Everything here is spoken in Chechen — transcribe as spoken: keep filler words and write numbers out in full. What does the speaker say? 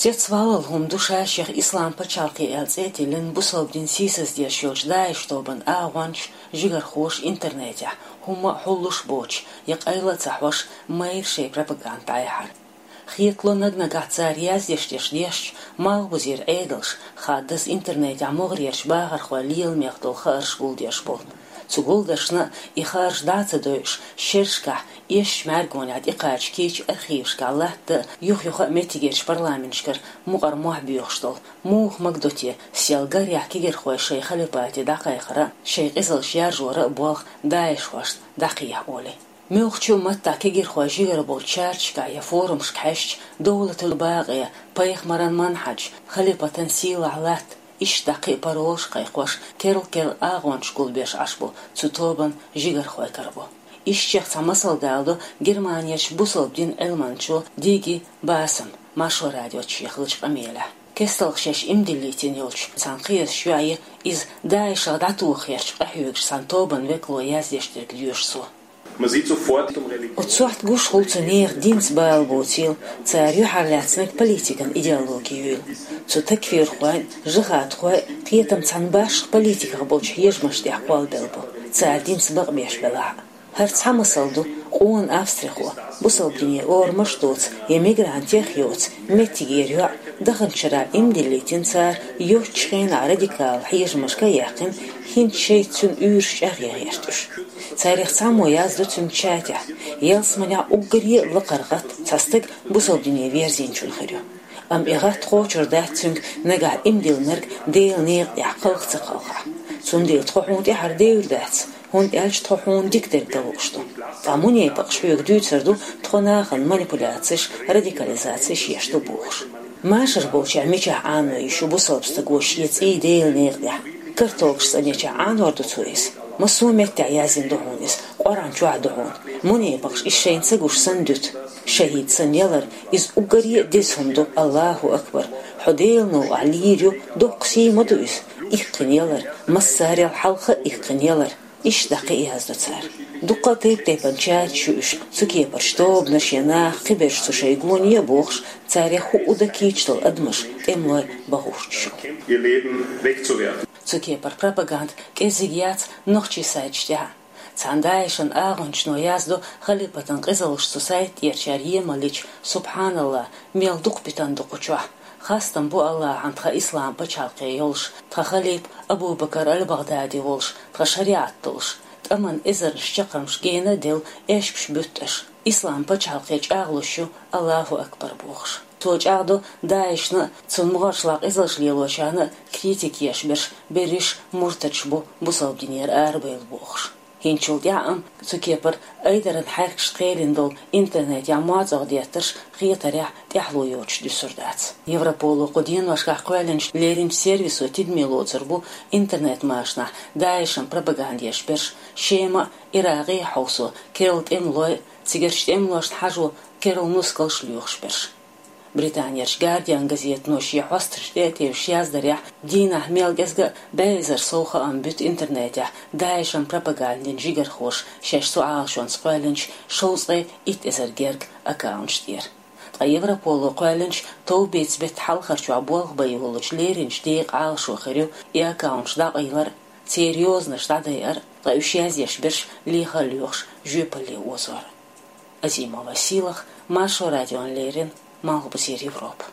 Цецваллал хӀума ду ша-шех Ислам пачхьалкхе аьлла цӀе а тиллина, бусалба дин сийсаздеш йолчу ДАИШ тобанан агӀончаш, жигархоша интернетехь, хӀумма а хьуллуш боцуш, я къайла а ца хьош, майра шайн пропаганда дӀаяхьар. Хетало, наг-нагахь цара яздеш дерш дешча, малхбузера Ӏедалш, хаддаза интернетехь могӀарерчу бахархойн леламех долу хаарш гулдеш болу. Цу гулдаршна и хаарш дӀа а ца дойуш, шерашкахь, эшначу мӀаьргонехь тӀекхача кийча архивашкахь латта а, юх-юха а меттигерчу парламенташкара мукъара мохь боьхуш долу, муха магадо те, сел гарехь кегийрхой шайн халипате дӀакхайкхара а, шайн къизаллаш яржора а болх ДАИШхошна дӀакхехьа олий. Муьлххачу а маттахь кегийрхой жигара болчу чарташкахь я форумашка хьаьжча, довлатал бакъе, пайхамаран манхьаж, халипатан сийлахь латта, иштта дӀа кхин а паролаш кхайкхош, керла-керла агӀончаш гулбеш Ӏаш бу цу тобанан жигархой карабо. Ишттачех цхьа масал даладо Германерчу бусалба динан Ӏилманчо Диги Басам, Маршо радиоца шех лучу къамелехь. КесталгӀа шаьш иман диллийтина йолчу цхьана кхиазчу йоӀе, иза ДАИШах дӀатохарчу къахьоьгуш цхьана тобанан векало яздеш дерг доьшу цо. Оцу сохьта гуш хуьлу цу нехан динца бала боцийла, цара юьхьарлаьцнарг политикан идеологи юйла. Цу такфирхойн, жихӀадхойн кхетам цхьана башха политиках болчу хьежамаш тӀехь кхоллабелла бу, цара динца бакъбеш белахь а. ХӀара цхьа масал ду, къона австрихо, бусалба дине орамаш а доцу я мигрантех а йоцу меттигера йоӀ, даханчу шарахь иман диллийтина цара, йоццачу хенахь радикал хьежамашка а яьккхина, хӀинца шайца цуьнан уьйраш чӀагӀъян гӀерташ. Царех цхьаммо яздо цуьнан чатехь, ялсаманехь уггаре а лакхара гӀатта цхьа стаг бусалба дине верзийначун хир ю. Амма и гӀатта кхочур дац цуьнга нагахь иман диллинарг Делан некъа тӀехь кхалха ца кхалхахь. Цундела тхо хьуна тӀаьхьара девр дац, хӀунда аьлча тхо хьуна дика дерг дан лууш ду. Ткъа мунепакъаш хьоьга дуьйцур ду, тхо нахана манипуляцеш, радикализацеш еш ду бохуш. Машар болчохь мичахь Ӏано йиш ю бусалба стаго шен цӀий Делан некъа тӀехь? Картолгаш цӀанъечохь Ӏанор ду цо иза? Массо а меттехь яздина ду хьуна иза, Къуръан чохь а ду хьуна. Мунепакъаш иза шайна ца гуш санна дуьту. ШахӀид санна ялар, иза уггаре а деза хӀума ду, Аллаху акбар. Хьо Делан новкъахь лийр ю, доккха сий ма ду иза. Иккхина ялар, массарел хьалха а иккхина ялар. Иштта дӀа кхин а яздо цара. Дуккха а тайп-тайпана чаташ ю уьш, цу кепарчу тобанаш я наха кхиберш цу шайн гоне а бохуш, царех хӀуъу дан кийча долу адамаш, тӀемалой бахуьйтуш ю. Цу кепара пропаганда кӀеззиг яц нохчийн сайташ тӀехь а. Цхьана ДАИШан агӀончано яздо халипатан къизаллаш цу сайта тӀерачара емаллича, субхьаналлахӀ, мел дукха питана ду кху чохь. Хастам бу Аллахьан тхан ислам пачхьалкхе йолуш, тхан халипа Абу-Бакар аль-БагӀдади волуш, тхан шариӀат долуш, тӀаман эзарнаш чаккхармаш гена а делла, эшпаш буьтту аша. Ислам пачхьалкхе чӀагӀлуш ю, Аллаху акбар бохуш. Цо чӀагӀдо ДАИШна а, цунна могӀаршлахь къизаллаш лелочарна а критика еш берш берриш муртадаш бу, бусалба динера арабевлла бохуш. ХӀинцачул тӀаьхьа амма цу кепара айдаран хьаьркашца кхелина долу интернетехь моцӀагӀа деттарш хетарехь тӀаьхьало йоцуш дуьсур дац. Европоло кху деношкахь кхоьллинчу леринчу сервисо тидаме лоцур бу интернет-машанахь ДАИШан пропаганда еш берш, Шема а, Иракъе а хьовсо керла тӀемалой а, цигарчу тӀемалошна хьажо керла нускалш лоьхуш берш. Британерчу Гардиан газетано шен хьосташ тӀе а тевжаш яздарехь, дийнахь мел кӀезга а бӀе эзар сов хаам буьту интернетехь ДАИШан пропагандин жигархоша шаьш цу Ӏалашонца кхоьллинчу шовзткъе итт эзар герга аккаунташ тӀера. Ткъа Европоло кхоьллинчу товбеца беттан хьалхарчохь болх бан йолучу леринчу декъан Ӏалашо хир ю и аккаунташ дӀакъайлар а, церан йозанаш дӀадайар а, ткъа уьш язъеш берш леха а лоьхуш жоьпалле озор а. Азимова Сийлаха, Маршо радиона леррина, Малхбузера Европа.